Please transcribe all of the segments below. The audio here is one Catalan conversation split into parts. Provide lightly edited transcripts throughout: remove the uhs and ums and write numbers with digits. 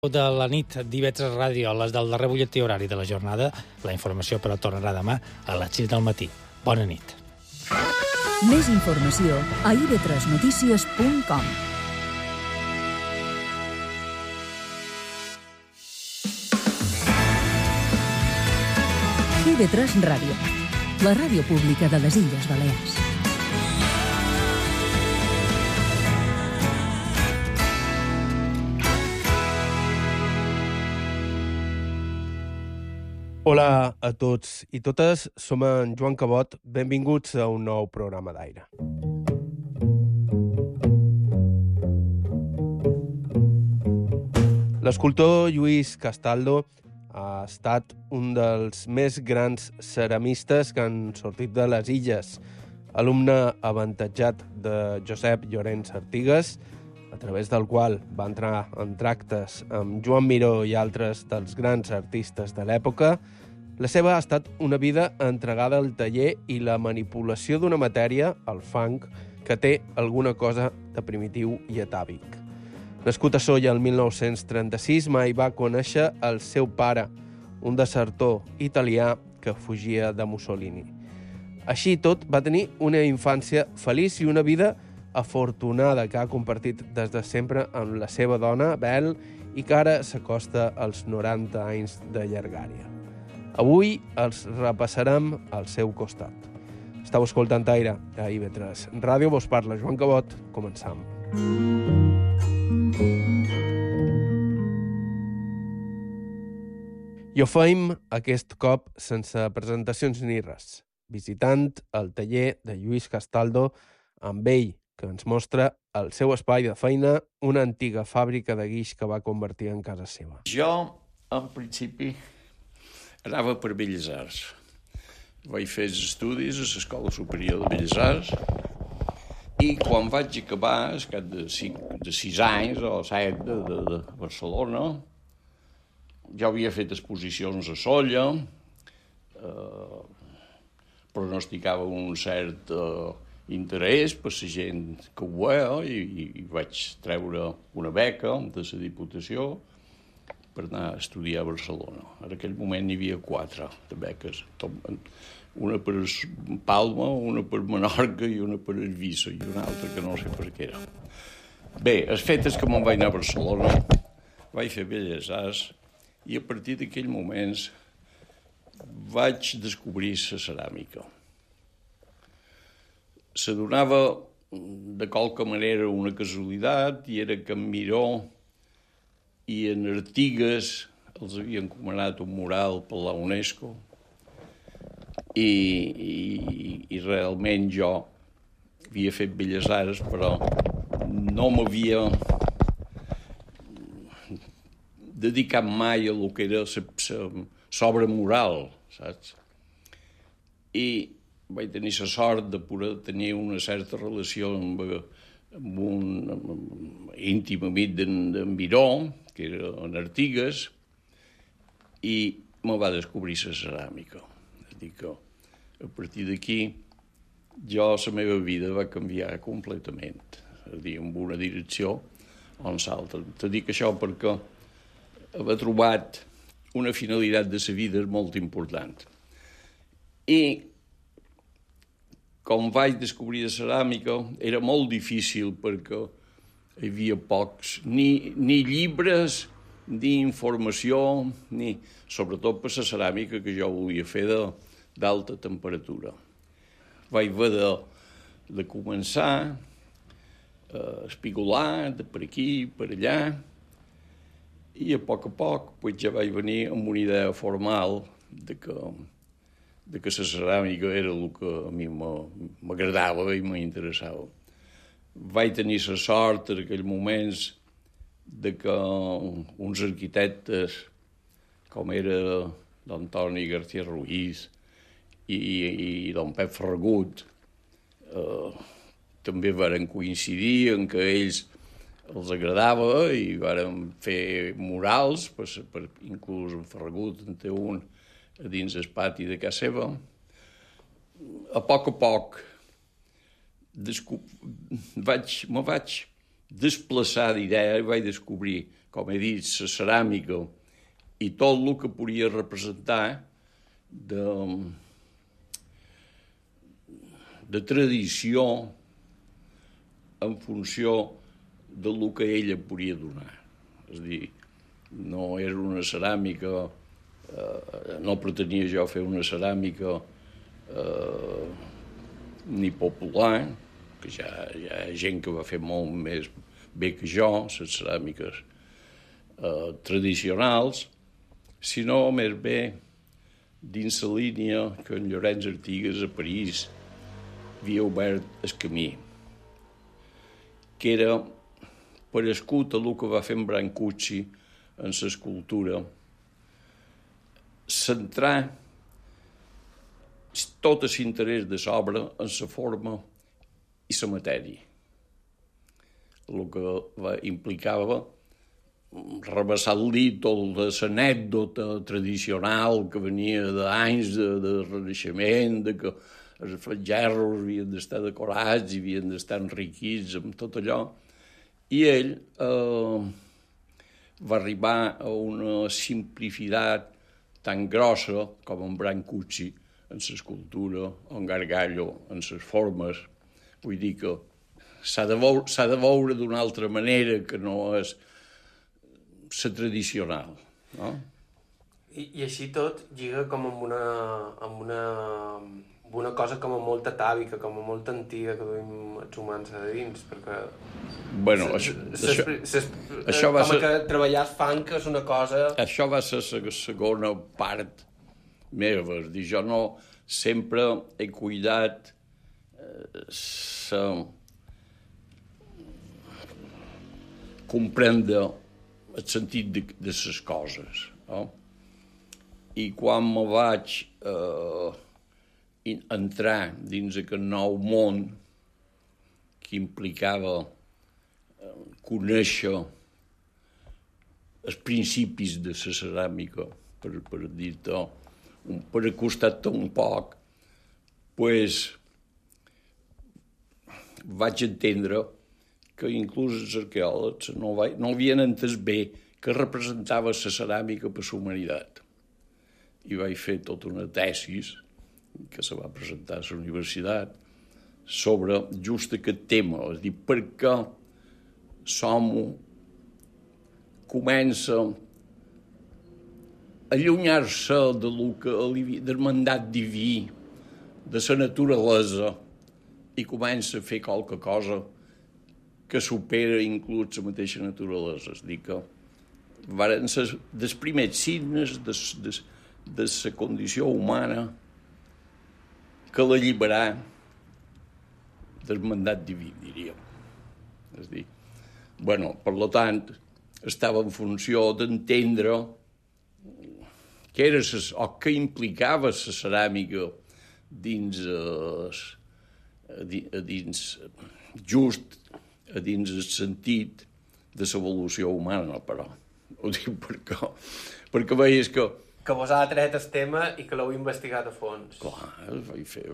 De la nit d'IV3 Ràdio, a les del darrer butlletí horari de la jornada. La informació, però, tornarà demà a les 6 del matí. Bona nit. Més informació a ib3notícies.com. IB3 Ràdio, la ràdio pública de les Illes Balears. Hola a tots i totes, som en Joan Cabot, benvinguts a un nou programa d'aire. L'escultor Lluís Castaldo ha estat un dels més grans ceramistes que han sortit de les illes, alumne avantatjat de Josep Llorenç Artigas, a través del qual va entrar en tractes amb Joan Miró i altres dels grans artistes de l'època. La seva ha estat una vida entregada al taller i la manipulació d'una matèria, el fang, que té alguna cosa de primitiu i atàvic. Nascut a Sóller el 1936, mai va conèixer el seu pare, un desertor italià que fugia de Mussolini. Així i tot, va tenir una infància feliç i una vida afortunada que ha compartit des de sempre amb la seva dona, Bel, i que ara s'acosta als 90 anys de llargària. Avui els repassarem al seu costat. Estau escoltant Aire a IB3 Ràdio, vos parla Joan Cabot. Començam. I ho feim aquest cop sense presentacions ni res, visitant el taller de Lluís Castaldo amb ell, que ens mostra el seu espai de feina, una antiga fàbrica de guix que va convertir en casa seva. Jo, en principi, anava per Belles Arts. Vaig fer els estudis a l'Escola Superior de Belles Arts i quan vaig acabar, al cap de 6 anys o 7 de Barcelona, ja havia fet exposicions a Sóller, pronosticava un cert interès per la gent que ho veia i vaig treure una beca de la Diputació per anar a estudiar a Barcelona. En aquell moment n'hi havia 4 de beques, una per Palma, una per Menorca i una per Eivissa i una altra que no sé per què era. Bé, el fet és que me'n vaig anar a Barcelona, vaig fer Belles Arts i a partir d'aquell moment vaig descobrir la ceràmica. Se donava de qualque manera una casualitat i era que en Miró i en Artigas els havien encomanat un mural per la UNESCO i realment jo havia fet Belles Arts però no m'havia dedicat mai a lo que era l'obra mural, saps? I vaig tenir la sort de poder tenir una certa relació amb un íntim amic d'en Miró, que era en Artigas, i me va descobrir la ceràmica. És a dir que a partir d'aquí jo la meva vida va canviar completament, és a dir, en una direcció o en l'altra. Te dic això perquè havia trobat una finalitat de la vida molt important. I com vaig descobrir la ceràmica, era molt difícil perquè hi havia pocs, ni llibres, ni informació, ni sobretot per la ceràmica que jo volia fer d'alta temperatura. Vaig haver de començar a espigolar de per aquí, per allà, i a poc ja vaig venir amb una idea formal de que la ceràmica era el que a mi m'agradava i m'interessava. Vaig tenir la sort en aquells moments de que uns arquitectes com era l'Antoni García Ruiz i don Pep Ferragut també varen coincidir en que ells els agradava i varen fer murals, inclús en Ferragut en té un a dins el pati de casa seva. A poc me vaig desplaçar d'idea i vaig descobrir com he dit, la ceràmica i tot el que podia representar de tradició en funció del que ella podia donar. És a dir, no era una ceràmica, no pretenia jo fer una ceràmica ni popular, que ja hi ha gent que va fer molt més bé que jo, les ceràmiques tradicionals, sinó més bé dins la línia que en Llorenç Artigas a París havia obert el camí, que era parescut a el que va fer en Brancusi en l'escultura, centrar tot l'interès de l'obra en la forma i la matèria, el que implicava rebassar-li tota l'anècdota tradicional que venia d'anys de Renaixement, de que els gerros havien d'estar decorats i havien d'estar enriquits amb tot allò, i ell va arribar a una simplificat tan grossa com en Brancusi en l'escultura, o en Gargallo en les formes. Vull dir que s'ha de veure d'una altra manera que no és la tradicional, no? I així tot lliga com amb una cosa com a molt atàvica, com a molt antiga que duim els humans a dins, perquè... Bueno, això va ser... Com que treballar el funk és una cosa... Això va ser la segona part meva, és dir, jo no sempre he cuidat comprendre el sentit de les coses, no? I quan me vaig entrar dins aquest nou món que implicava conèixer els principis de la ceràmica, per dir-te, per acostar-te un poc, pues, vaig entendre que inclús els arqueòlegs no havien entès bé que representava la ceràmica per la humanitat. I vaig fer tota una tesis que se va presentar a la universitat sobre just aquest tema, és a dir, per què l'home comença a allunyar-se del mandat diví, de la naturalesa, i comença a fer qualque cosa que supera inclús la mateixa naturalesa. És a dir, que van ser dels primers signes de la condició humana que l'alliberà del mandat diví, diríem. És a dir, bueno, per tant, estava en funció d'entendre què era o què implicava la ceràmica dins el sentit de l'evolució humana, però. Ho dic perquè veies que... Que vos ha tret el tema i que l'heu investigat a fons. Clar, vaig fer...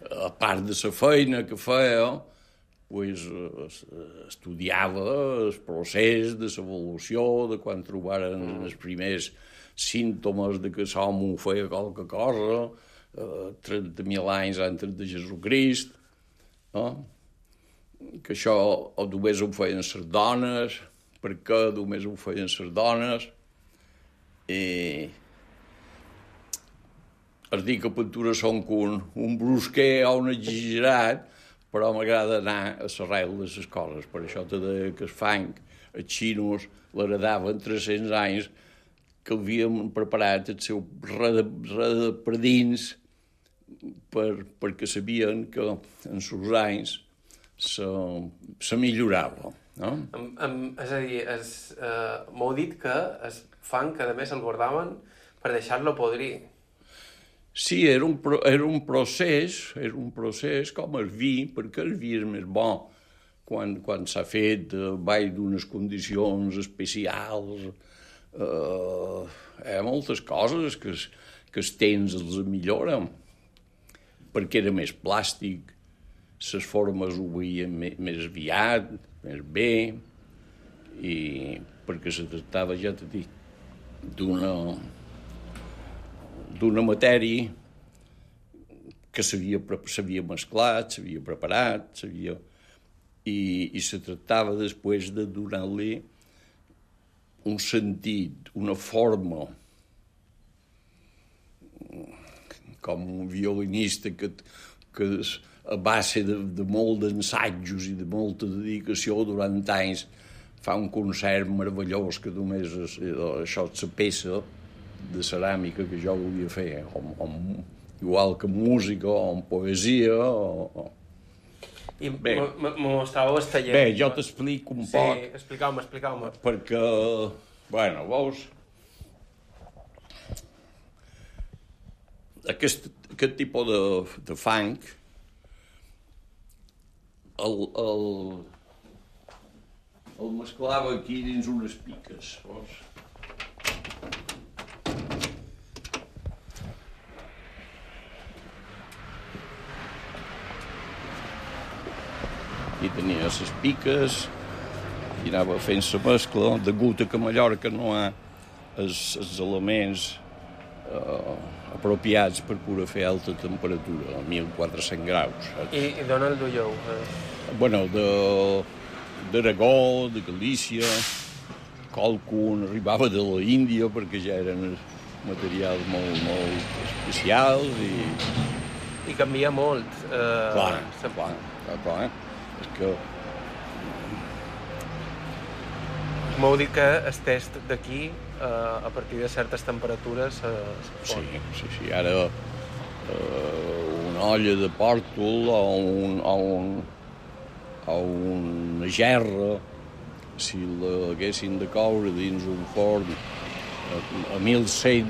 A part de la feina que feia, pues, estudiava el procés de l'evolució, de quan trobaren els primers símptomes de que l'home feia qualque cosa, 30.000 anys antes de Jesucrist, no? Que això només ho feien les dones, per què només ho feien les dones, i es diu que pintura són un brusquer o un exagerat, però m'agrada anar a l'arrel de les coses. Per això te deia que el funk, els xinos, l'heredaven 300 anys, que havien preparat el seu per dins perquè sabien que en els anys se millorava. No? És a dir, m'heu dit que el funk, a més, el guardaven per deixar-lo podrir. Sí, era un procés com el vi, perquè el vi és més bo quan s'ha fet baix d'unes condicions especials. Hi ha moltes coses que els temps els milloren, perquè era més plàstic, les formes ho veien més aviat, més bé, i perquè se tractava, ja t'he dit, d'una matèria que s'havia mesclat, s'havia preparat, i se tractava després de donar-li un sentit, una forma, com un violinista que a base de molt d'ensajos i de molta dedicació durant anys fa un concert meravellós que només això és la peça de ceràmica que jo volia fer, igual que en música o en poesia I me mostràveu el taller. Bé, jo t'explico un poc. Sí, expliqueu-me. Perquè, bueno, veus, aquest tipus de funk el mesclava aquí dins unes piques, veus? Aquí tenia les piques i anava fent la mescla, degut a que a Mallorca no hi ha els elements apropiats per poder fer alta temperatura, a 1.400 graus. Saps? I d'on el duieu? Bueno, d'Aragó, de Galícia, qualcun arribava de la Índia perquè ja eren materials molt especials I canvia molt. Clar. És que m'heu dit que el test d'aquí, a partir de certes temperatures, Sí. Ara una olla de pòrtol o una gerra, si l'haguessin de coure dins un forn a 1.100...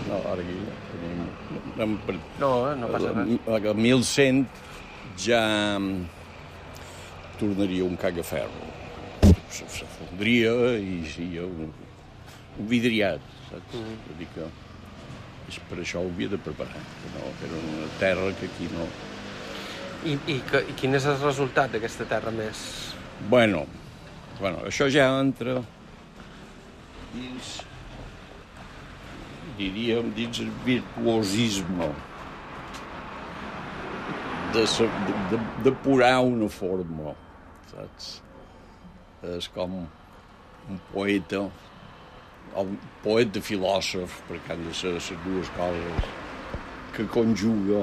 No, ara aquí... No passa res. A 1.100 ja tornaria un cagaferro. Se fondria i seria un vidriat, saps? Vull dir que per això ho havia de preparar, que no, era una terra que aquí no... I quin és el resultat d'aquesta terra més? Bueno, això ja entra dins, diríem, dins el virtuosisme de depurar una forma, saps? És com un poeta, o un poeta filòsof, perquè han de ser les dues coses, que conjuga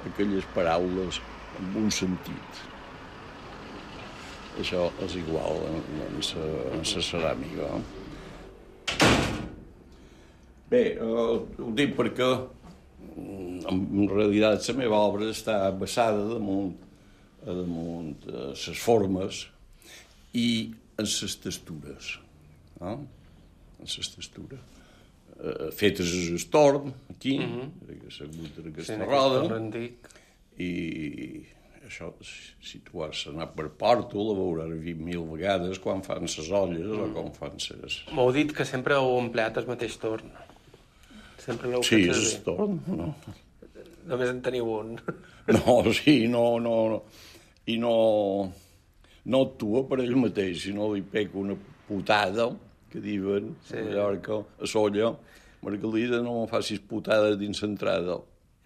aquelles paraules amb un sentit. Això és igual en la ceràmica. Bé, ho dic perquè en realitat la meva obra està basada damunt les formes i en les textures. En les textures. Fetes a l'estorn, aquí, assegut en aquesta roda, i això, si tu has anat per Pòrtol, ho veuràs 20.000 vegades quan fan les olles o quan fan les... M'heu dit que sempre heu empleat el mateix torn. Sempre l'heu fet servir. Sí, és el torn, no. Només en teniu un. No, sí, no. I no actua per ell mateix, sinó li pega una putada, que diuen, a Mallorca, a Solla, Margalida, no me facis putada dins l'entrada.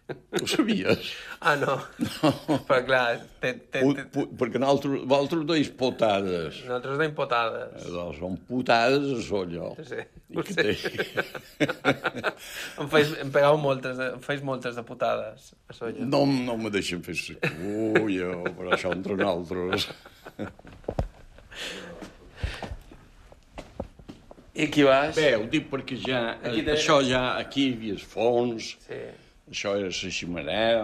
Ho sabies? Ah, no. Però clar... Perquè vosaltres deis potades. Nosaltres deim potades. Doncs són putades a Solla. Sí, ho sé. Em pegau moltes de putades a Solla. No me deixen fer la culla, però això entre nosaltres. I aquí baix? Bé, ho dic perquè això ja, aquí hi havia els fons, això era la ximenea,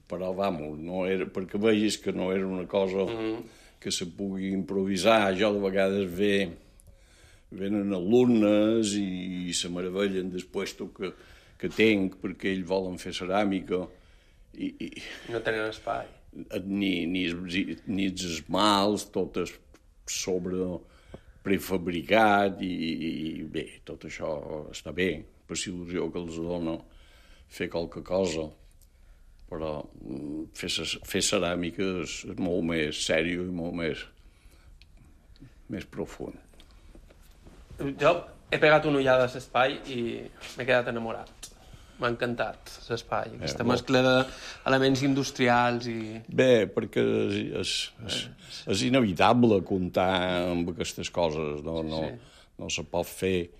però, vamos, no era, perquè veies que no era una cosa que se pugui improvisar. Jo de vegades venen alumnes i se meravellen del puesto que tenc, perquè ells volen fer ceràmica. No tenen espai. Ni els esmalts, tot és sobre prefabricat i bé, tot això està bé, per la il·lusió que els dona fer qualque cosa. però fer ceràmica és molt més sèrio i molt més profund. Jo he pegat una ullada a l'espai i m'he quedat enamorat. M'ha encantat l'espai, aquesta mescla d'elements industrials i... Bé, perquè és inevitable comptar amb aquestes coses, no se pot fer.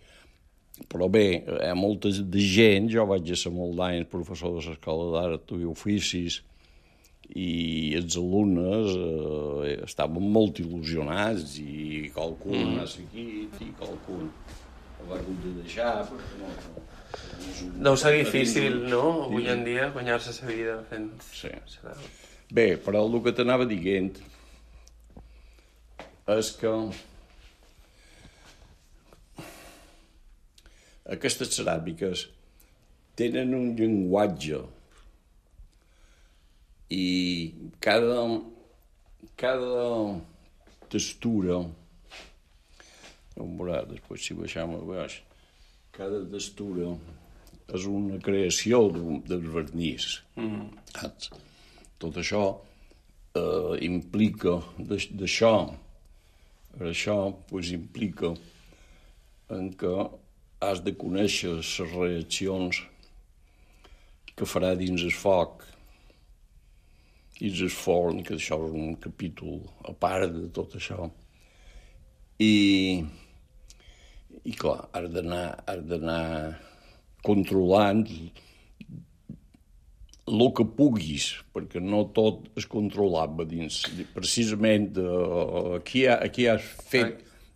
Però bé, hi ha molta de gent, jo vaig ser molt d'anys professor de l'Escola d'Art i Oficis, i els alumnes estaven molt il·lusionats, i qualcun ha seguit, i qualcun ho va haver de deixar, perquè no... Deu ser difícil, no?, avui en dia, guanyar-se la vida fent... Sí. Bé, però el que t'anava dient és que aquestes ceràmiques tenen un llenguatge i cada textura, després si baixem a baix, cada textura és una creació del vernís. Tot això implica d'això. Això implica en que has de conèixer les reaccions que farà dins el foc i el forn, que això és un capítol a part de tot això. I clar, has d'anar controlant el que puguis, perquè no tot és controlable dins. Precisament aquí has fet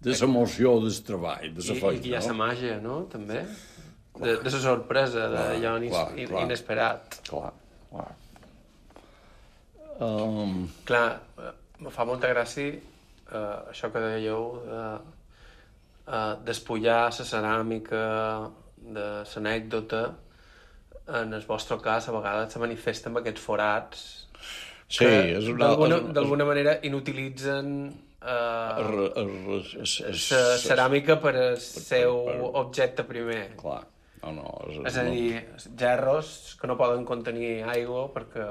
de l'emoció del treball, de la feina. I hi ha la màgia, no?, també? De la sorpresa, d'allò inesperat. Clar. Clar, me fa molta gràcia això que dèieu despullar la ceràmica de l'anècdota. En el vostre cas, a vegades se manifesta amb aquests forats que d'alguna manera inutilitzen la ceràmica per al seu objecte primer. Clar, no. És a dir, gerros que no poden contenir aigua perquè...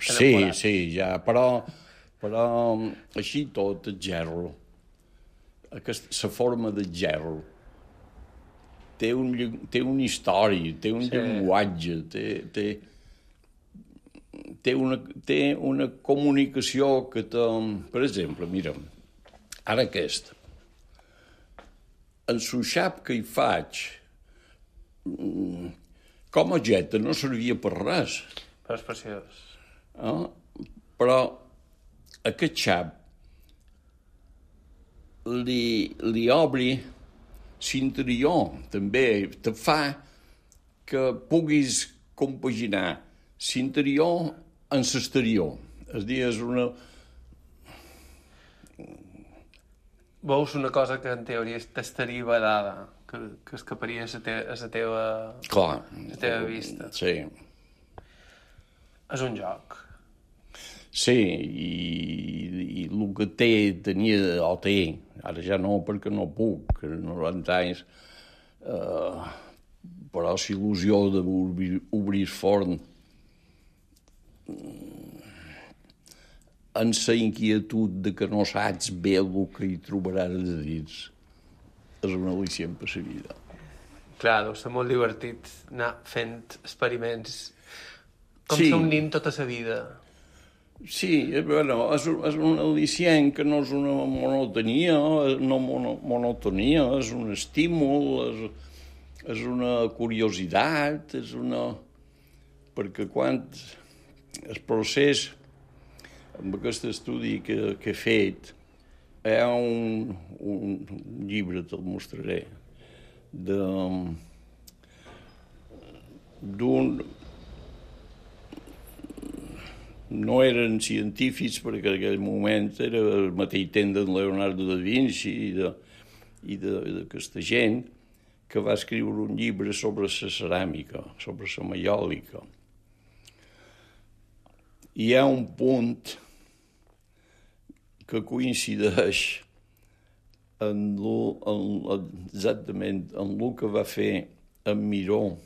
Sí, ja, però així tot el gerro, la forma del gerro, té una història, té un llenguatge, té una comunicació que té... Per exemple, mira, ara aquest, el suixap que hi faig, com a objecte no servia per res. Però és preciós. Però aquest xap li obri l'interior, també, te fa que puguis compaginar l'interior amb l'exterior. És a dir, és una... Veus una cosa que en teoria t'estaria vedada, que escaparia a la teva vista. Sí. És un joc. Sí, i el que tenia, ara ja no perquè no puc, 90 anys, però l'il·lusió d'obrir el forn en la inquietud de que no saps bé el que hi trobaràs de dins és una al·licient per la vida. Clar, deu ser molt divertit anar fent experiments com ser un nin tota la vida. Sí, bueno, és un al·licient que no és una monotonia, és un estímul, és una curiositat, és una... Perquè quan el procés, amb aquest estudi que he fet, hi ha un llibre, te'l mostraré, d'un... No eren científics, perquè en aquell moment era el mateix temps d'en Leonardo da Vinci i d'aquesta gent que va escriure un llibre sobre la ceràmica, sobre la maiòlica. Hi ha un punt que coincideix exactament amb el que va fer en Miró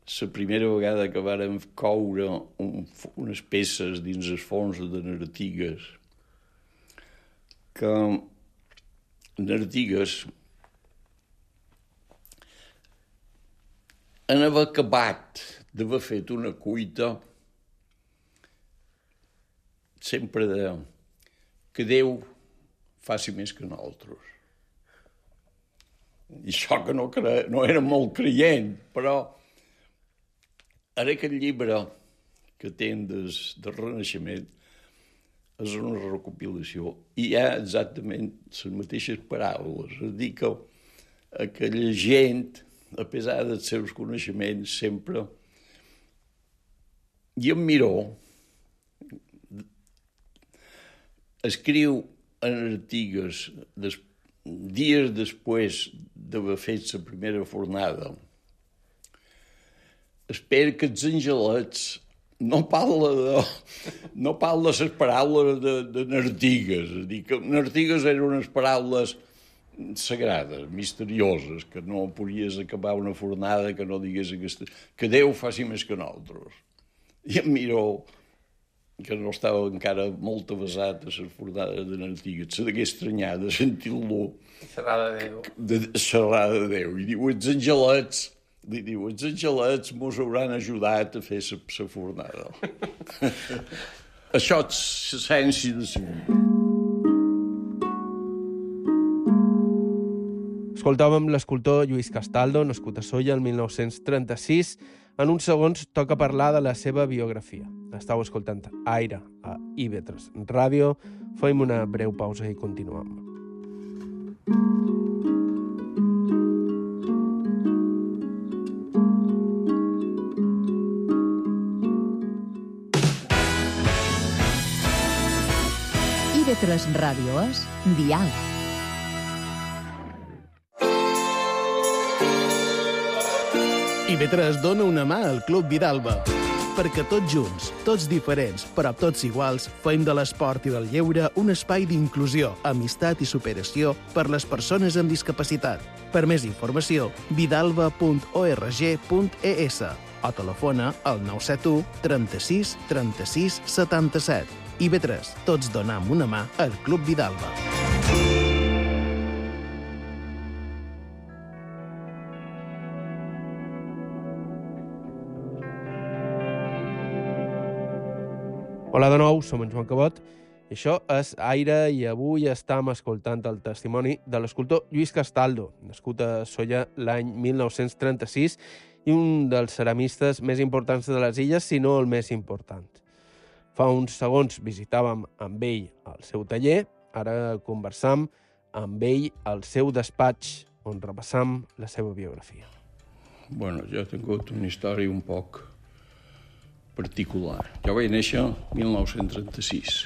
la primera vegada que vàrem coure unes peces dins el fons de Nartigues, que Nartigues en haver acabat d'haver fet una cuita, sempre deia que Déu faci més que nosaltres. I això que no era molt creient, però ara aquest llibre que tenen del Renaixement és una recopilació i hi ha exactament les mateixes paraules. És a dir, que aquella gent, a pesar dels seus coneixements, sempre... I en Miró escriu en Artigues, dies després d'haver fet la primera fornada, espero que els angelets no parla les paraules de Nartigues. És a dir, que Nartigues eren unes paraules sagrades, misterioses, que no podies acabar una fornada que no digués que Déu faci més que nosaltres. I em Miró, que no estava encara molt avasat a les fornades de Nartigues, se degué estranyar de sentir-lo xerrar de Déu. Xerrar de Déu. I diu, els angelets mos hauran ajudat a fer la fornada. Això és l'essència de la vida. Escoltàvem l'escultor Lluís Castaldo, nascut a Sóller el 1936. En uns segons toca parlar de la seva biografia. Estau escoltant Aire a IB3 Ràdio. Fem una breu pausa i continuem. IB3 Ràdio és Diàleg. IB3 dona una mà al Club Vidalba, perquè tots junts, tots diferents, però tots iguals, fem de l'esport i del lleure un espai d'inclusió, amistat i superació per les persones amb discapacitat. Per més informació, vidalba.org.es o telefona al 971 36 36 77. IB3, tots donam una mà al Club Vidalba. Hola de nou, som en Joan Cabot, i això és Aire, i avui estem escoltant el testimoni de l'escultor Lluís Castaldo, nascut a Sóller l'any 1936 i un dels ceramistes més importants de les illes, si no el més important. Fa uns segons visitàvem amb ell el seu taller, ara conversam amb ell al seu despatx, on repassam la seva biografia. Bueno, jo he tingut una història un poc particular. Jo vaig néixer el 1936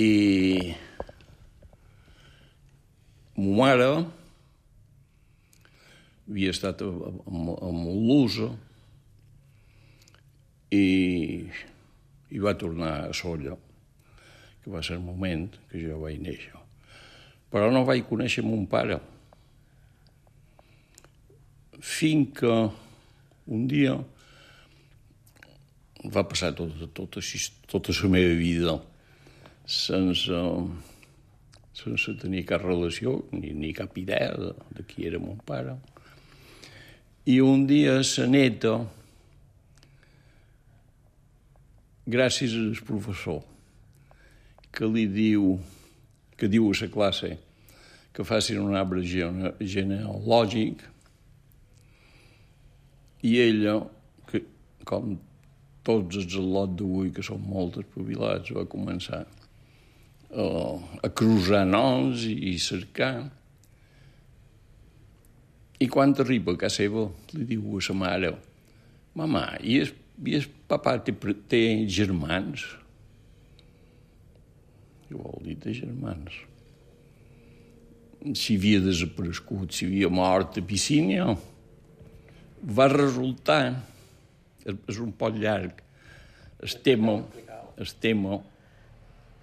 i ma mare havia estat a Molusa i va tornar a Sóller, que va ser el moment que jo vaig néixer. Però no vaig conèixer mon pare fins que un dia va passar tota la meva vida sense tenir cap relació ni cap idea de qui era mon pare. I un dia sa neta, gràcies al professor, que diu a la classe que facin un arbre genealògic, i ella, que com tots els al·lots d'avui, que són molt espavilats, va començar a cruzar noms i cercar. I quan arriba a casa seva, li diu a sa mare: «Mamà, i el papà té germans?» Què vol dir de germans? Si havia desaparegut, si havia mort a Piscínia. Va resultar, és un poc llarg, el tema,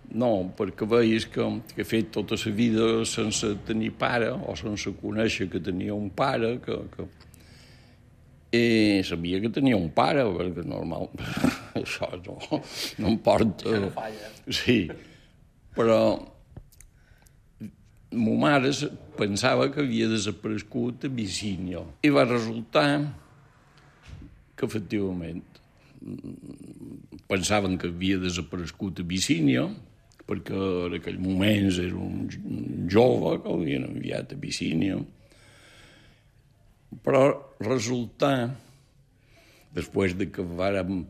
no, perquè veies que he fet tota la vida sense tenir pare o sense conèixer que tenia un pare, I sabia que tenia un pare, perquè normal, això no em porta... Això no falla. Sí, però ma mare pensava que havia desaparegut a Abissínia. I va resultar que, efectivament, pensaven que havia desaparegut a Abissínia, perquè en aquell moment era un jove que l'havien enviat a Abissínia. Però resultar, després de que vàrem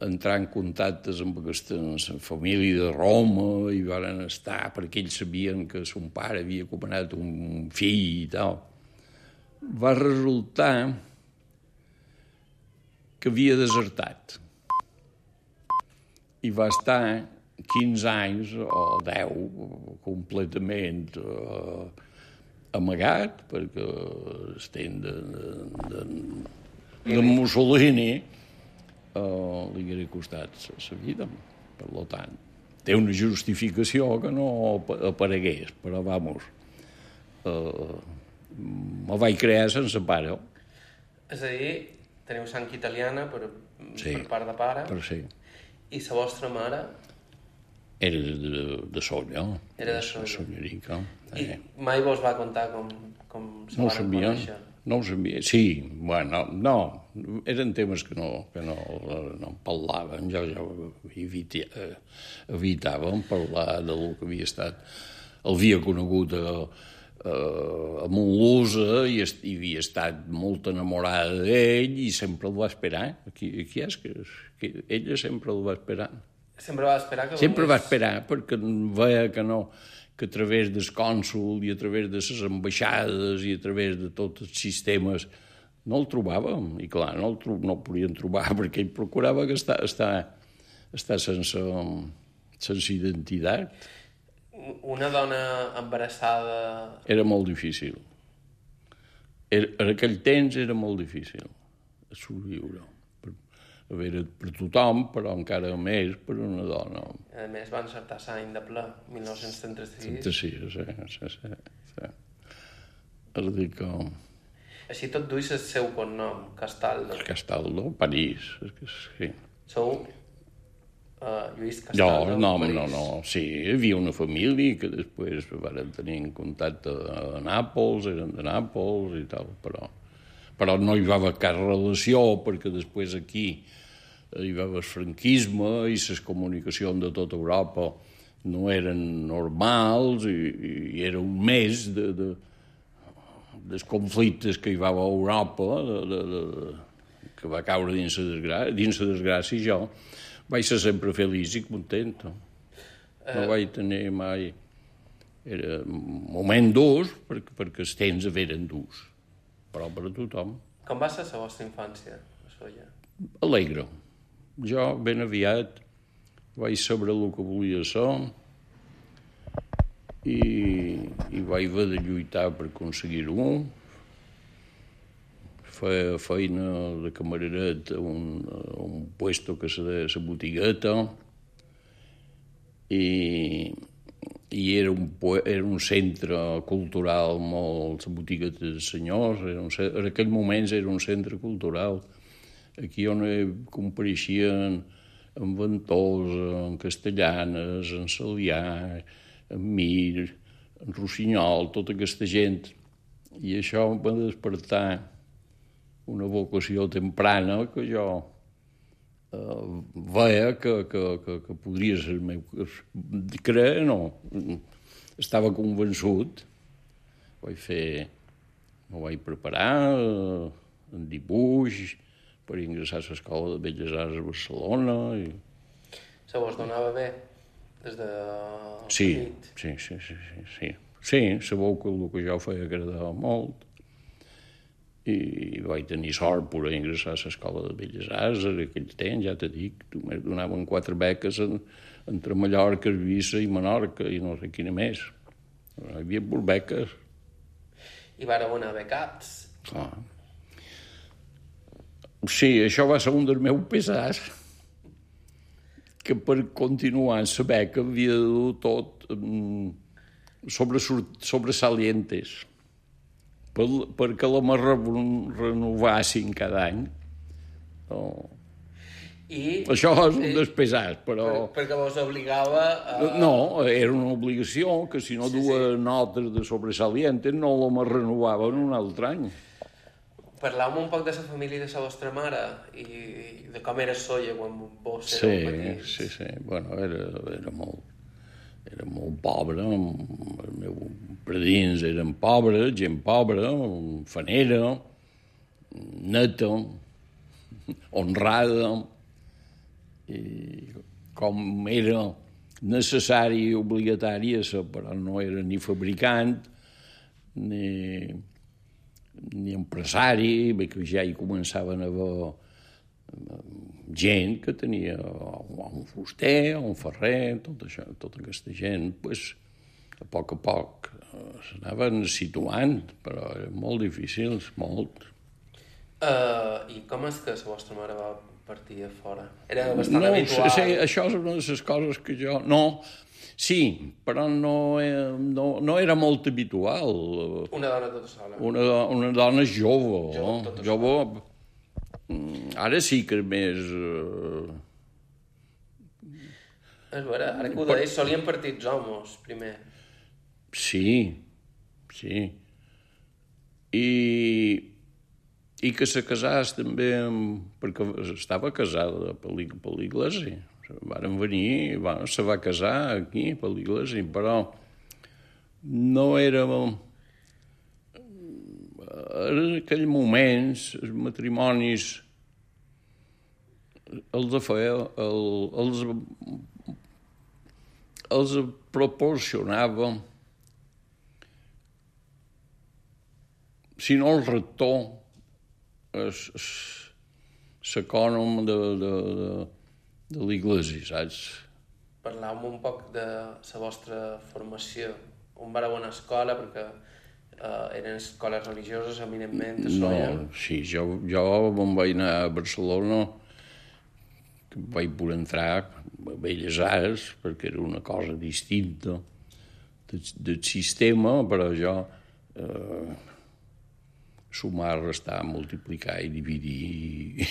entrar en contactes amb aquesta família de Roma i varen estar, perquè ells sabien que son pare havia comanat un fill i tal, va resultar que havia desertat. I va estar 15 anys o 10 completament amagat, perquè estem de Mussolini li hauria costat la vida. Per tant, té una justificació que no aparegués, però, vamos, me vaig crear sense pare. És a dir, teniu sang italiana per part de pare. Per sí. I la vostra mare? Era de Solla. Era de Solla. Sollerica. I mai vos va contar com se varen conèixer? No ho sabia. Sí, bueno, no. Eren temes que no parlaven. Jo evitàvem parlar del que havia estat. El havia conegut a Montlusa i havia estat molt enamorada d'ell i sempre el va esperar. Aquí és que ella sempre el va esperar. Sempre va esperar que... Sempre va esperar, perquè veia que no, que a través del cònsul i a través de les ambaixades i a través de tots els sistemes no el trobàvem. I clar, no el podien trobar perquè ell procurava que estar sense identitat. Una dona embarassada... Era molt difícil. En aquell temps era molt difícil sobreviure. A veure, per tothom, però encara més per una dona. A més, va encertar l'any de ple, 1936. 36, sí. És a dir que... Així tot duix el seu cognom, Castaldo. Castaldo, París, sí. Sou Lluís Castaldo, No. Sí, hi havia una família que després van tenir en contacte a Nàpols, eren de Nàpols i tal, però no hi va haver cap relació, perquè després aquí hi va haver el franquisme i les comunicacions de tota Europa no eren normals i era un mes dels conflictes que hi va haver a Europa, que va caure dins la desgràcia, i jo vaig ser sempre feliç i content. No vaig tenir mai... Era un moment durs, perquè els temps eren durs, però per a tothom. Com va ser la vostra infància, a Solla? Alegre. Jo, ben aviat, vaig saber el que volia ser i vaig haver de lluitar per aconseguir-ho. Feia feina de camareret a un puesto que se deia la botigueta i era un centre cultural molt... La botigueta dels senyors, en aquell moment era un centre cultural. Aquí on compareixien en Ventosa, en Castellanes, en Salià, en Mir, en Rossinyol, tota aquesta gent. I això em va despertar una vocació temprana que jo veia que podria ser el meu... Creia, no. Estava convençut. M'ho vaig preparar en dibuix per ingressar a l'Escola de Belles Arts de Barcelona. Se vos donava bé des de... Sí. Sí, sabeu que el que jo feia agradava molt. I vaig tenir sort per ingressar a l'Escola de Belles Arts en aquell temps, ja t'he dit, només donaven 4 beques entre Mallorca, Eivissa i Menorca, i no sé quina més. Hi havia beques. I vareu anar becats. Clar. Sí, això va ser un dels meus pesars, que per continuar en la beca havia de dur tot sobresalientes. perquè la me renovassin cada any. Això és un despesat, però... Perquè vos obligava a... No, era una obligació, que si no duia notes de sobresalientes no la me renovaven un altre any. Parleu-me un poc de la família de la vostra mare i de com era Sóller quan vos éreu petits. Sí. Bueno, era molt pobre. Els meus predins eren pobres, gent pobra, fanera, neta, honrada, i com era necessari i obligatari, però no era ni fabricant, ni empresari, que ja hi començaven a haver gent que tenia un fuster, un ferrer, tota aquesta gent, a poc s'anaven situant, però eren molt difícils, molt. I com és que la vostra mare va partir a fora? Era bastant habitual? Sí, això és una de les coses que jo... No, sí, però no era molt habitual. Una dona tota sola? Una dona jove. Ara sí que és més... És vera, ara que ho deies, solien partir els homes, primer. Sí. I que se casàs també, perquè estava casada per l'Iglésia. Varen venir, se va casar aquí, per l'Iglésia, però no era... En aquells moments, els matrimonis els proporcionava, si no el rector, l'ecònom de l'Iglésia, saps? Parleu-me un poc de la vostra formació. On vareu anar a escola, perquè eren escoles religioses, eminentment, a Sóller? No, sí, jo me'n vaig anar a Barcelona, que vaig poder entrar a Belles Arts, perquè era una cosa distinta del sistema, però jo... sumar, restar, multiplicar i dividir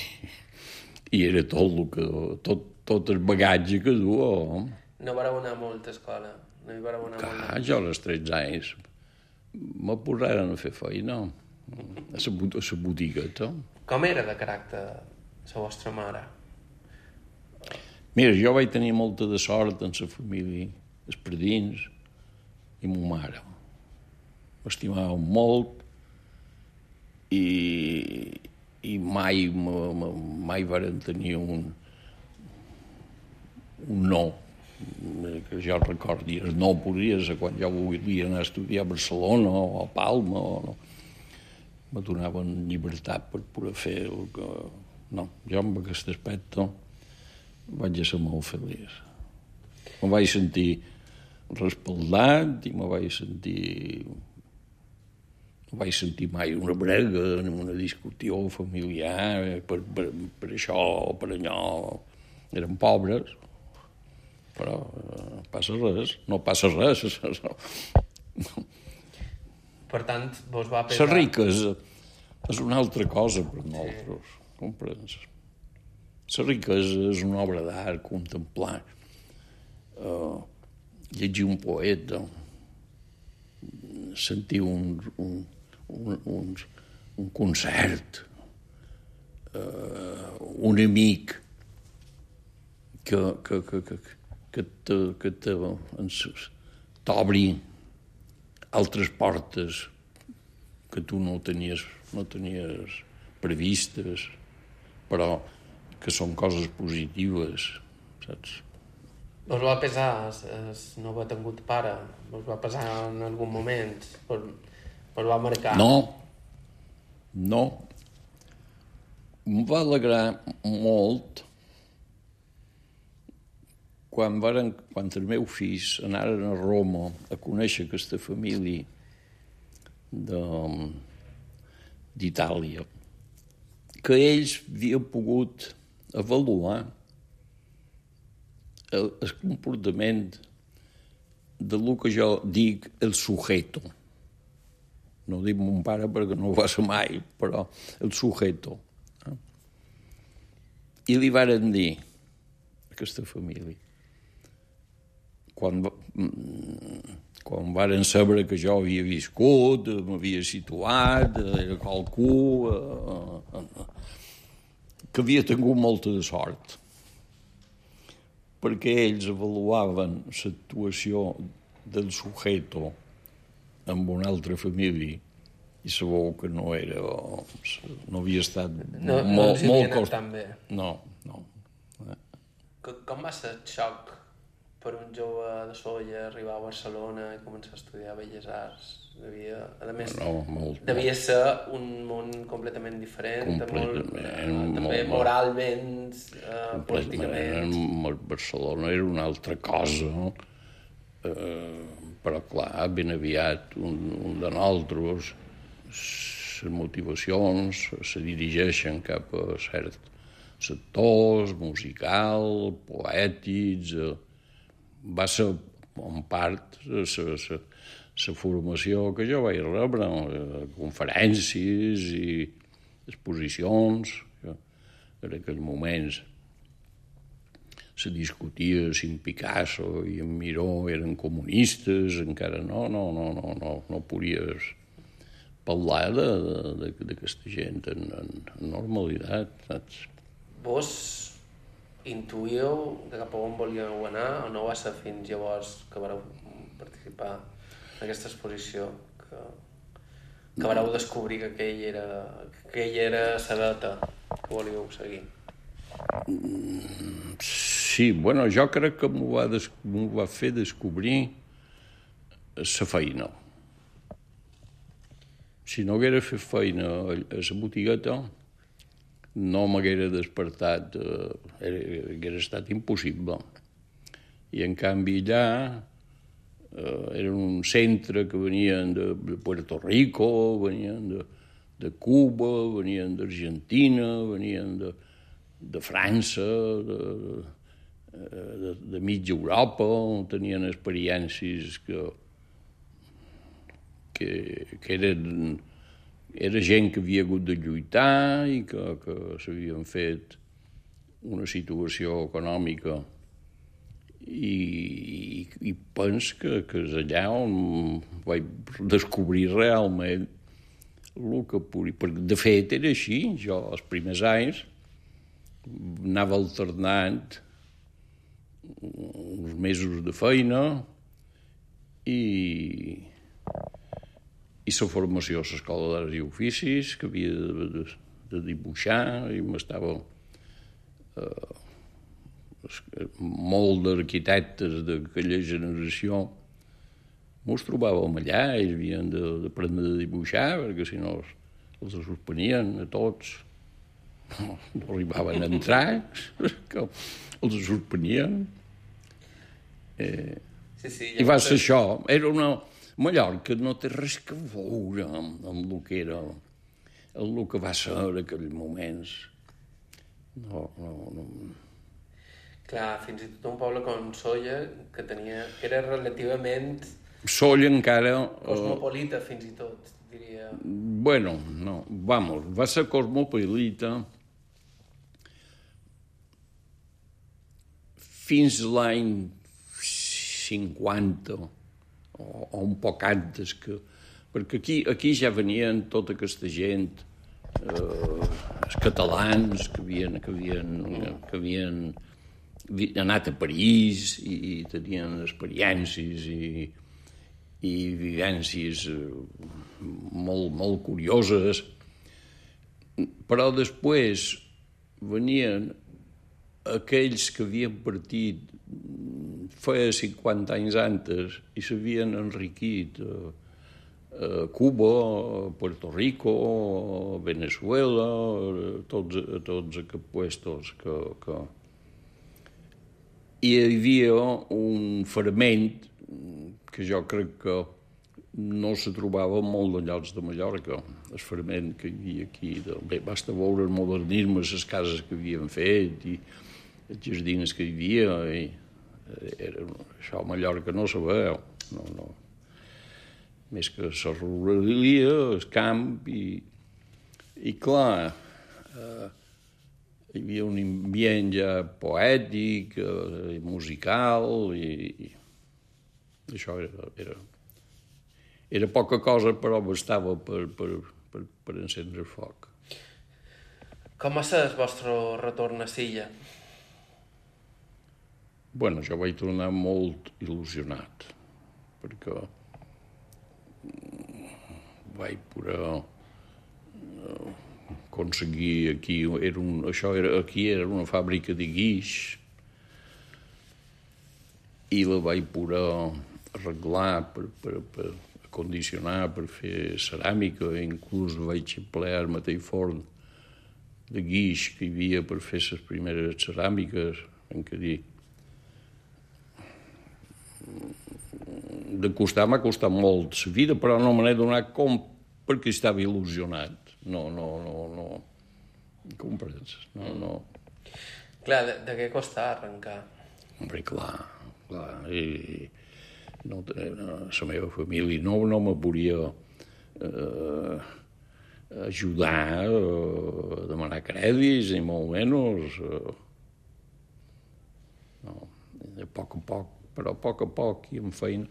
i era tot el bagatge que duia. No vareu anar molt a escola? No hi vareu anar molt? Jo als 13 anys me posaren a fer feina a la botigueta. Com era de caràcter la vostra mare? Mira, jo vaig tenir molta de sort en la família, els predins i ma mare. M'estimàvem molt i mai varen tenir un no, que jo recordi. El no podia ser quan jo volia anar a estudiar a Barcelona o a Palma, me donaven llibertat per poder fer el que... No, jo amb aquest aspecte vaig ser molt feliç. Me vaig sentir respaldat i me vaig sentir mai una brega, una discussió familiar, per això o per allò. Eren pobres, però no passa res. Per tant, vos va pesar... La riquesa és una altra cosa per nosaltres, comprens? La riquesa és una obra d'art, contemplar, llegir un poeta, sentir un concert, un amic que t'obri altres portes que tu no tenies previstes, però que són coses positives, saps? Vos va pesar no haver tingut pare? Vos va pesar en algun moment? Vos va marcar? No. Em va alegrar molt quan els meus fills anaren a Roma a conèixer aquesta família d'Itàlia, que ells havien pogut avaluar el comportament de lo que jo dic el sujeto. no dic mon pare perquè no ho va ser mai, però el sujeto. I li varen dir a aquesta família, quan varen saber que jo havia viscut, m'havia situat, era qualcú, que havia tingut molta de sort, perquè ells avaluaven l'actuació del sujeto amb una altra família i sabeu que no havia estat molt cost... No. Com va ser el xoc per un jove de Sóller arribar a Barcelona i començar a estudiar Belles Arts? Devia ser un món completament diferent, també moralment, políticament. Barcelona era una altra cosa, però clar, ben aviat un de nosaltres, les motivacions se dirigeixen cap a certs sectors, musical, poètics. Va ser, en part, la formació que jo vaig rebre, conferències i exposicions. En aquells moments se discutia si en Picasso i en Miró eren comunistes, encara no podies parlar d'aquesta gent en normalitat, saps? Vos intuïeu de cap a on volíeu anar o no va ser fins llavors que vareu participar en aquesta exposició que vareu descobrir que aquell era la data que volíeu seguir? Sí, bueno, jo crec que m'ho va fer descobrir la feina. Si no haguera fet feina a la botigueta, no m'haguera despertat, haguera estat impossible. I, en canvi, allà era un centre que venien de Puerto Rico, venien de Cuba, venien d'Argentina, venien de França, de mitja Europa, tenien experiències que era gent que havia hagut de lluitar i que s'havien fet una situació econòmica i penso que és allà on vaig descobrir realment el que podia. Perquè, de fet, era així. Jo, els primers anys, anava alternant uns mesos de feina i la formació a l'Escola d'Arts i Oficis, que havia de dibuixar, i m'estava molt d'arquitectes d'aquella generació mos trobàvem allà, ells havien d'aprendre a dibuixar, perquè si no els suspenien a tots, no arribaven a entrar, que els suspenien. I va ser això, era una... Mallorca no té res que veure amb el que era, el que va ser en aquells moments. No. Clar, fins i tot un poble com Sóller, que era relativament... Sóller encara... Cosmopolita, fins i tot, diria. Bueno, no, va ser cosmopolita fins l'any 50, o un poc antes, perquè aquí ja venien tota aquesta gent, els catalans que havien anat a París i tenien experiències i vivències molt curioses, però després venien aquells que havien partit feia 50 anys antes i s'havien enriquit a Cuba, a Puerto Rico, a Venezuela, a tots aquests puestos que... I hi havia un fragment que jo crec que no se trobava en molts de llocs de Mallorca, el fragment que hi havia aquí. Basta veure el modernisme, les cases que havien fet i els jardins que hi havia, i això a Mallorca no se veu, més que la ruralia, el camp, i clar, hi havia un ambient ja poètic, musical, i això era poca cosa, però bastava per encendre el foc. Com va ser el vostre retorn a Silla? Bueno, jo vaig tornar molt il·lusionat, perquè vaig poder aconseguir aquí, aquí era una fàbrica de guix, i la vaig poder arreglar per acondicionar, per fer ceràmica, inclús vaig emplear el mateix forn de guix que hi havia per fer les primeres ceràmiques, en què dir, de costar m'ha costat molt la vida, però no me n'he donat compte perquè estava il·lusionat. No. Comprens? No. Clar, de què costa arrencar? Hombre, clar. I la meva família no me volia ajudar a demanar crèdits, ni molt menys. No, a poc, però a poc i amb feina.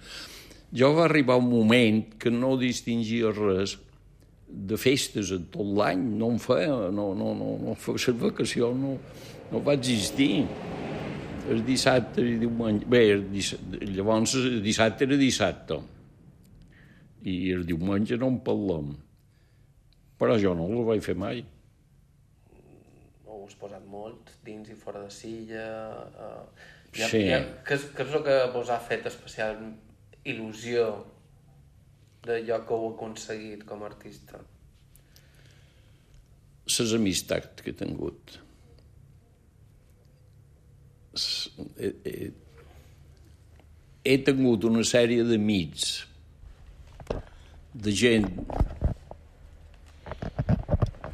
Jo va arribar un moment que no distingia res de festes en tot l'any, no en feia, la vacació no va existir. El dissabte i diumenge... Bé, llavors el dissabte era dissabte i el diumenge no en parlem. Però jo no ho vaig fer mai. Ho has posat molt, dins i fora de Silla... Sí. Què és el que vos ha fet especial il·lusió d'allò que heu aconseguit com a artista? Les amistats que he tingut. He tingut una sèrie d'amics, de gent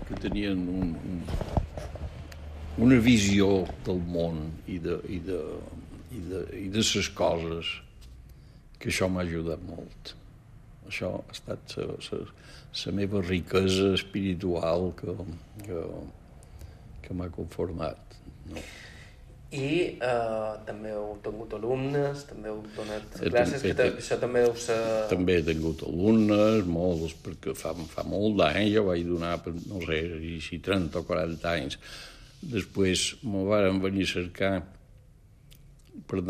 que tenien una visió del món i de les coses, que això m'ha ajudat molt. Això ha estat la meva riquesa espiritual que m'ha conformat. No? I també heu tingut alumnes, també heu donat classes, això també deu ser... També he tingut alumnes, molts, perquè fa molt d'anys jo vaig donar, no sé, si 30 o 40 anys. Després me varen venir a cercar per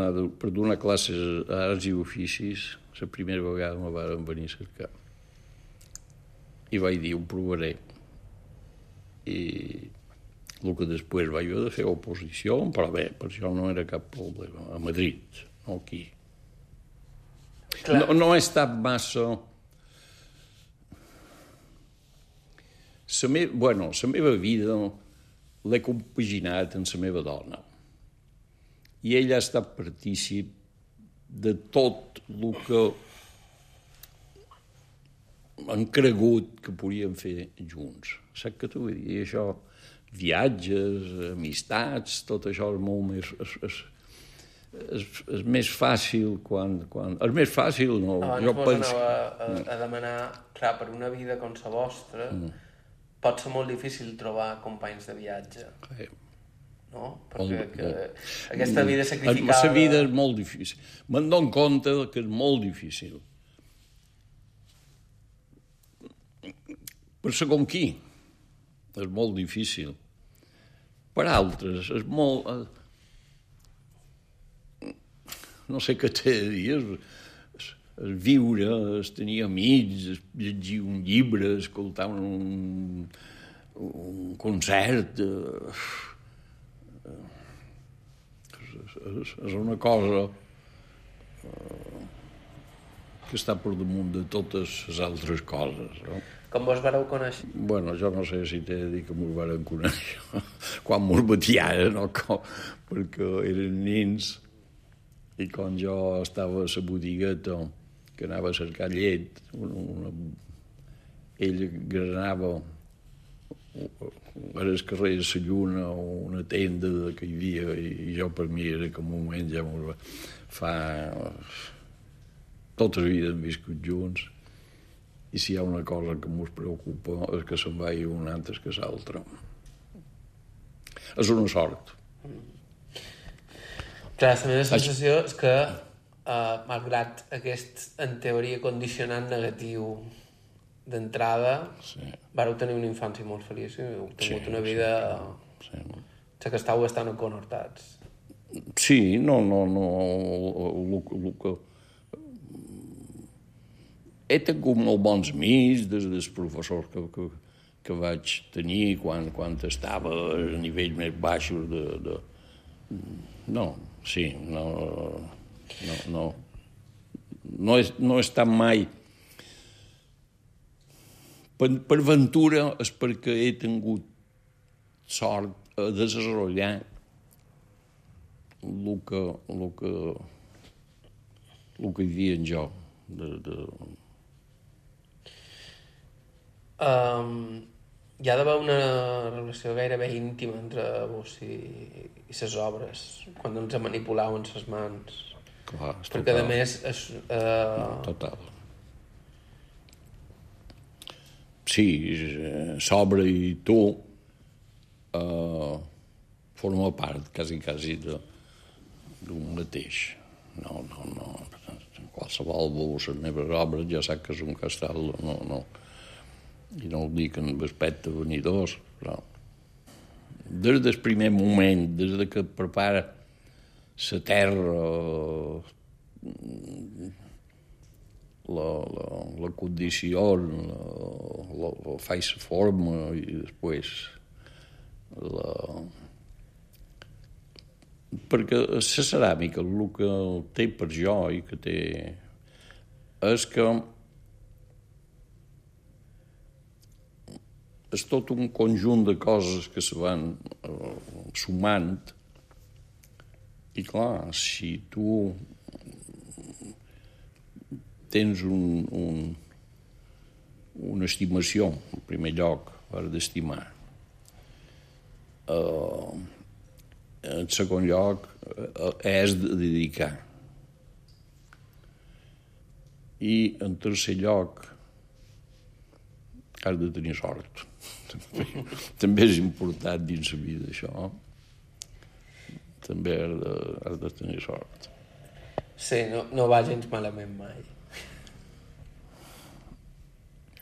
donar classes a arts i oficis. La primera vegada me varen venir a cercar. I vaig dir, ho provaré. I el que després vaig haver de fer oposició, però bé, per això no era cap problema. A Madrid, no aquí. No he estat massa... La meva vida l'he compaginat amb la meva dona. I ella ha estat partícip de tot el que han cregut que podíem fer junts. Saps què t'ho vull dir? Això, viatges, amistats, tot això és molt més... És més fàcil quan... És més fàcil, no? Abans vos anava a demanar, clar, per una vida com la vostra, pot ser molt difícil trobar companys de viatge. No? Perquè aquesta vida sacrificada... La vida és molt difícil. Me'n dono compte que és molt difícil. Per segon qui és molt difícil. Per altres és molt... No sé què t'he de dir, és viure, és tenir amics, és llegir un llibre, escoltar un concert... És una cosa que està per damunt de totes les altres coses, no? Com vos vareu conèixer? Bueno, jo no sé si t'he de dir que mos varen conèixer quan mos batiaren o com, perquè eren nins i quan jo estava a la botigueta que anava a cercar llet, ell granava a les carrer de la Lluna o una tenda que hi havia i jo per mi era com un moment ja fa... Tota la vida hem viscut junts I si hi ha una cosa que mos preocupa és que se'n vagi un antes que l'altre. És una sort. Clar, la meva sensació és que, malgrat aquest, en teoria, condicionant negatiu d'entrada, vareu tenir una infància molt feliç i heu tingut una vida... que estàu bastant conhortats. Sí, no, el que... He tingut molt bons amics des dels professors que vaig tenir quan estava a nivells més baixos de... No, sí, no he estat mai... Per ventura és perquè he tingut sort a desenvolupar el que hi havia en jo. Hi ha d'haver una relació gairebé íntima entre vos i les obres, quan ens manipuleu en les mans. Clar, perquè, a més... Total. Sí, l'obra i tu forma part, quasi, d'un mateix. No. Qualsevol de les meves obres ja sap que és un castell, no. I no ho dic en aspecte venidors, però des del primer moment, des que prepara la terra, la condició, faig la forma i després perquè la ceràmica, el que té per jo i que té és que és tot un conjunt de coses que se van sumant i, clar, si tu tens una estimació, en primer lloc, per d'estimar, en segon lloc, és de dedicar. I, en tercer lloc, has de tenir sort. També és important dins la vida, això. També has de tenir sort. Sí, no va gens malament mai.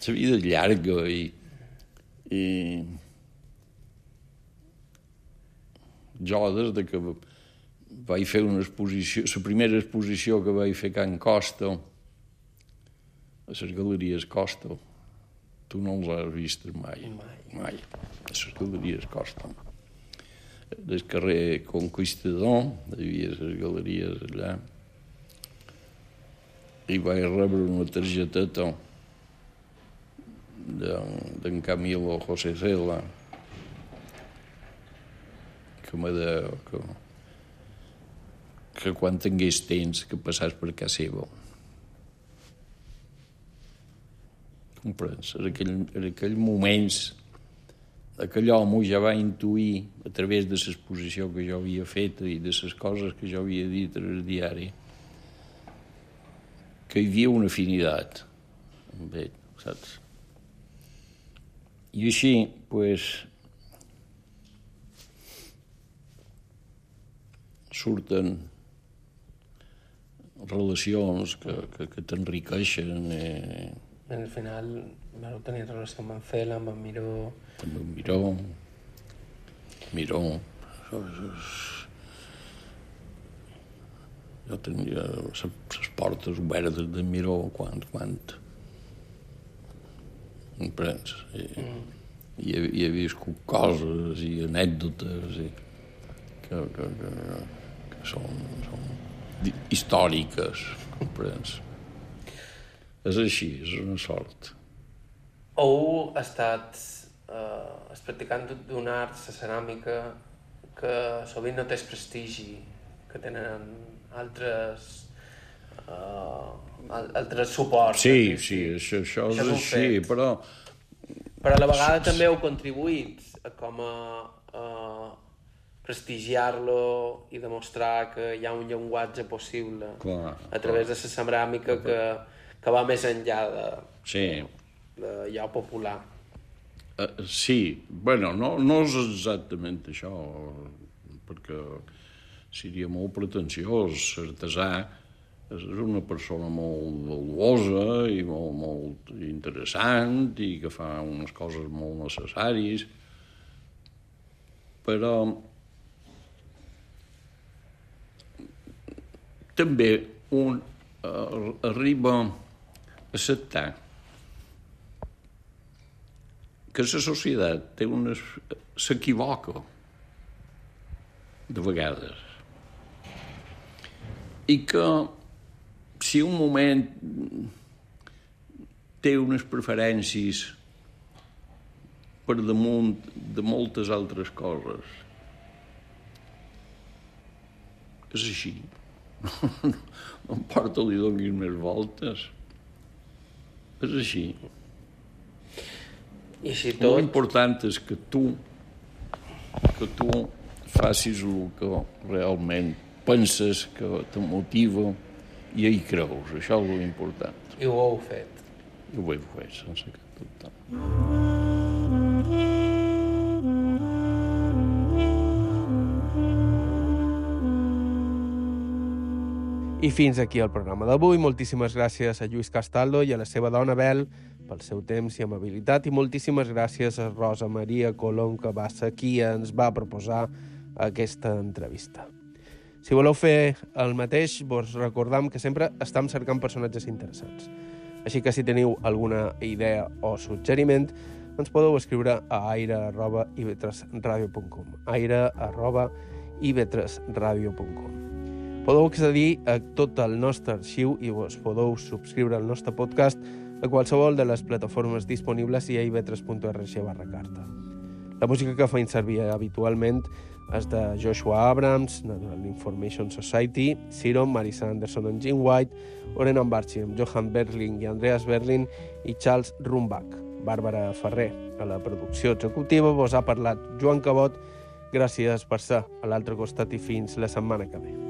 La vida és llarga i jo, des que vaig fer una exposició, la primera exposició que vaig fer a Can Costa, a les Galeries Costa, tu no els has vist mai. A les Galeries Costa. Del carrer Conquistador, hi havia les galeries allà, i vaig rebre una targeteta d'en Camilo José Cela, que me deia que quan tingués temps que passàs per casa seva. Comprens? En aquells moments, aquell home ja va intuir, a través de l'exposició que jo havia fet i de les coses que jo havia dit al diari, que hi havia una afinitat amb ell, saps? I així, doncs, surten relacions que t'enriqueixen. Al final vau tenir relació amb en Cela, amb en Miró... Amb en Miró. Jo tenia les portes obertes de Miró quan comprens? I he viscut coses i anècdotes que són històriques, comprens? És així, és una sort. Heu estat practicant d'un art, la ceràmica, que sovint no té el prestigi que tenen altres suports. Sí, això és així, però... Però a la vegada també heu contribuït com a prestigiar-lo i demostrar que hi ha un llenguatge possible a través de la ceràmica que va més enllà Sí. D'allò popular. Sí, bueno, no és exactament això, perquè seria molt pretensiós. L'artesà és una persona molt valuosa i molt interessant i que fa unes coses molt necessàries, però també un arriba a acceptar que la societat s'equivoca de vegades i que si un moment té unes preferències per damunt de moltes altres coses, és així. No importa li donis més voltes. És així. I si tot... L'important és que tu facis el que realment penses que te motiva i hi creus. Això és l'important. I ho heu fet. I ho heu fet, sense cap dubte. I fins aquí el programa d'avui. Moltíssimes gràcies a Lluís Castaldo i a la seva dona Bel pel seu temps i amabilitat, i moltíssimes gràcies a Rosa Maria Colom, que va ser qui ens va proposar aquesta entrevista. Si voleu fer el mateix, vos recordam que sempre estem cercant personatges interessants. Així que si teniu alguna idea o suggeriment, ens podeu escriure a aire@ivetresradio.com aire@ivetresradio.com. Podeu accedir a tot el nostre arxiu i vos podeu subscriure al nostre podcast a qualsevol de les plataformes disponibles i a ivetres.org/carta. La música que feim servir habitualment és de Joshua Abrams, Natural Information Society, Siron, Marisa Anderson and Jim White, Oren Ambarchi, Johan Berling i Andreas Berlin i Charles Rumbach. Bàrbara Ferrer, a la producció executiva, vos ha parlat Joan Cabot. Gràcies per ser a l'altre costat i fins la setmana que ve.